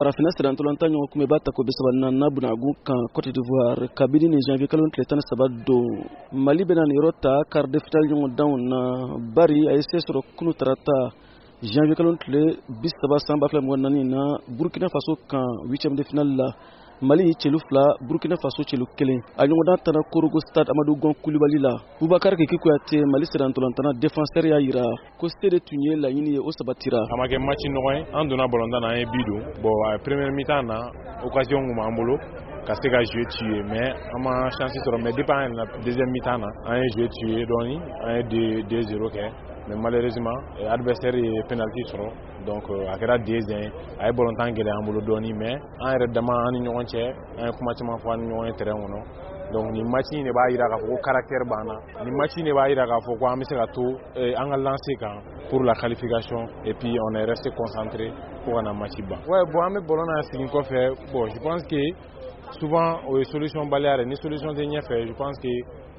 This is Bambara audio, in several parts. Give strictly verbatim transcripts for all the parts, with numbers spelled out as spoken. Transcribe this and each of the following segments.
Farafinna sirantɔlɔntan ɲɔgɔn kunbɛba tako bi saba naaninan bunagun kan Cote d'Ivoire kabini nin janvier kalo tile tan ni saba don. Mali bɛna nin yɔrɔ ta quart de finale ɲɔgɔndanw na, bari a ye se sɔrɔ kunu tarata janvier kalo tile bi saba san ba fila mugan naani na Burkina Faso kan huitième de finale la. Mali celu fila, Burkina Faso celu kelen. A ɲɔgɔndan tana Korogo stade Amadou Gon Kulibali la. Bubakar Kiki Kuyate, Mali sirantɔlɔntana défenseur, y'a yira ko se de tun ye laɲini ye, o sabatira. A ma kɛ match nɔgɔ ye. An donna balontan na, an ye but don. Bon, a première mi-temps na, occasion kun b'an bolo ka se ka jeu tuer, mais an ma chance sɔrɔ. Mais depuis an yɛlɛnna deuxième mi-temps na, an ye jeu tuer dɔɔni, an ye deux zéro kɛ, mais malheureusement adversaire ye penalty sɔrɔ, donc a kɛra deux un. A ye balontan gɛlɛya an bolo dɔɔni, mais an yɛrɛ dama, an ni ɲɔgɔn cɛ, an ye kuma caman fɔ an ni ɲɔgɔn ye terrain kɔnɔ. Donc nin match in de b'a jira k'a fɔ ko caractère b'an na. Nin match in de b'a jira k'a fɔ ko an bɛ se ka to an ka lancer kan pour la qualification, et puis on est resté concentré fo ka na match ban. Ouais, bon, an bɛ ballon na segin kɔfɛ. Bon, je pense que souvent o ye solution baliya de. Ni solution tɛ ɲɛfɛ, je pense que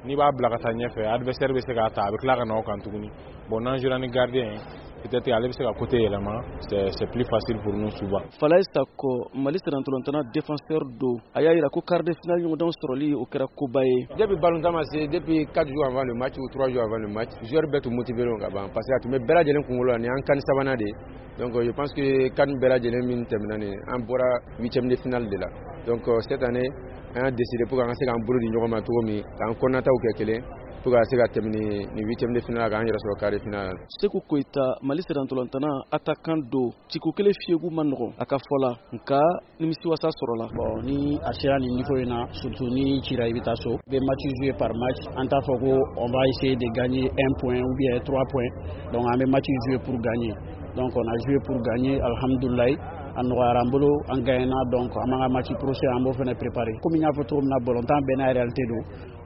n'i b'a bila ka taa ɲɛfɛ, adversaire bɛ se k'a ta, a bɛ tila ka na o kan tuguni. Bon, n'an jouera ni gardien ye, peut-être ale bɛ se ka côté yɛlɛma, c'est c'est plus facile pour nous souvent. Falaye Sako, Mali sirantɔlɔntana défenseur don, a y'a yira ko quart de finale ɲɔgɔndanw sɔrɔli, o kɛra koba ye. Depuis balontan ma se, depuis quatre jours avant le match ou trois jours avant le match, joueur bɛɛ tun motivé ka ban, parce que a tun bɛ bɛɛ lajɛlen kunkolo la, nin y'an CAN sabanan de ye. Donc je pense que CAN bɛɛ lajɛlen min tɛmɛna nin, an bɔra huitième de finale de la. Donc cette année, an y'a décidé pour qu'an ka se k'an bolo di ɲɔgɔn ma cogo min, k'an kɔnɔnataw kɛ kelen pour ka se ka tɛmɛ ni ni huitième de finale, k'an yɛrɛ sɔrɔ quart de finale la. Seku Koyita, Mali sirantɔlɔntana attaquant don, ciko kelen fiyegu ma nɔgɔn a ka fɔ la, nka nimisiwasa sɔrɔla. Bon, ni a sera nin niveau in na, surtout ni cira, i bɛ taa so, i bɛ match jouer par match. An t'a fɔ ko on va essayer de gagner un point ou bien trois points. Donc an bɛ match jouer pour gagner. Donc on a joué pour gagner, alhamdoulilah, a nɔgɔyara an bolo, an gagnena. Donc an b'an ka match prochain, an b'o fana préparer. Komi n y'a fɔ cogo min na, balontan bɛɛ n'a réalité don.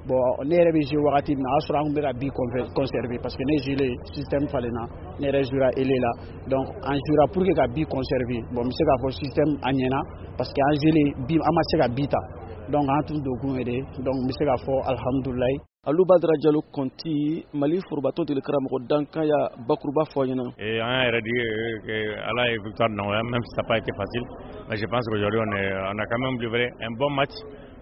Bon, ne yɛrɛ bɛ jouer wagati min na, o y'a sɔrɔ an tun bɛ ka but conserver, parce que ne jouer système falenna, ne yɛrɛ jouera ailier la. Donc an jouera pour que ka but conserver. Bon, n bɛ se k'a fɔ système a ɲɛna, parce que an jouer but, an ma se ka but ta. Donc an tun don kun ye de. Donc n bɛ se k'a fɔ alhamdulilayi. Alu Badara Jalo Kɔnti, Mali forobatɔ deli karamɔgɔ dankan, ya bakuruba fɔ ɲɛna. Et an yɛrɛ di que Ala ye victoire nɔgɔya, même si ça n'a pas été facile. Mais je pense qu'aujourd'hui on, est, on a quand même livré un bon match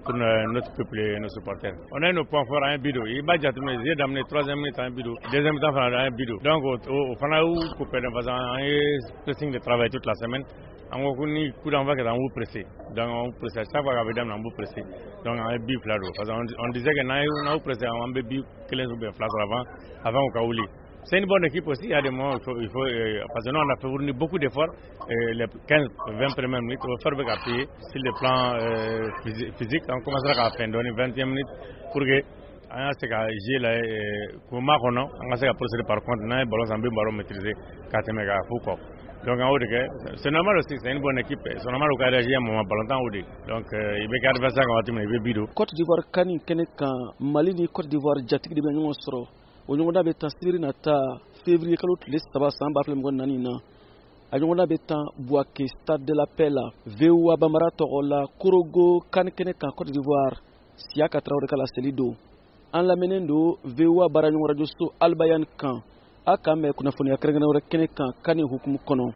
pour notre peuple et nos supporters. On a nos points forts, an ye but don. I b'a jateminɛ, jeu daminɛ troisième minute, an ye but don. Deuxième temps fana, an ye but don. Donc o fana y'u ko perdre, parce que an ye pressing de travail toute la semaine. An ko ko ni coup d'envoi kɛra, an b'u pressé. Donc an b'u pressé à chaque fois k'a bɛ daminɛ, an b'u pressé. Donc an ye but fila don, parce qu'on on disait que n'an y'u pressé, an bɛ but kelen ou bien fila sɔrɔ avant avant u ka wuli. C'est une bonne équipe aussi. Il y a des moments où il faut, il faut euh, parce que nous, on a fourni beaucoup d'efforts euh, les quinze, vingt premières minutes, on va faire appuyer sur le plan euh, physique. On commencera à faire donner vingtième minute pour que an ka se ka jouer la k'o makɔnɔ, an ka se ka procéder. Par contre, n'an ye ballon san, an bɛ ballon maîtriser ka tɛmɛ k'a fo kɔ. Donc an y'o de kɛ. C'est normal aussi, c'est une bonne équipe, c'est normal u ka réagir un moment. Ballon o de, donc i bɛ kɛ adversaire kan waati min na, i bɛ but don. Cote d'Ivoire CAN kɛnɛ kan, Mali ni Cote d'Ivoire jatigi de bɛ ɲɔgɔn sɔrɔ. O ɲɔgɔndan bɛ tan sibiri nata février kalo tile saba san ba fila mugan naani na. A ɲɔgɔndan bɛ tan Bouaké stade de la Paix la. V O A Bambara tɔgɔ la, Korogo CAN kɛnɛ kan Cote d'Ivoire, Siyaka Tarawele ka laseli don. An lamɛnnen don V O A baaraɲɔgɔn radio so Albayan kan. A k'an mɛn kunnafoniya kɛrɛnkɛrɛn wɛrɛ kɛnɛ kan CAN hukumu kɔnɔ.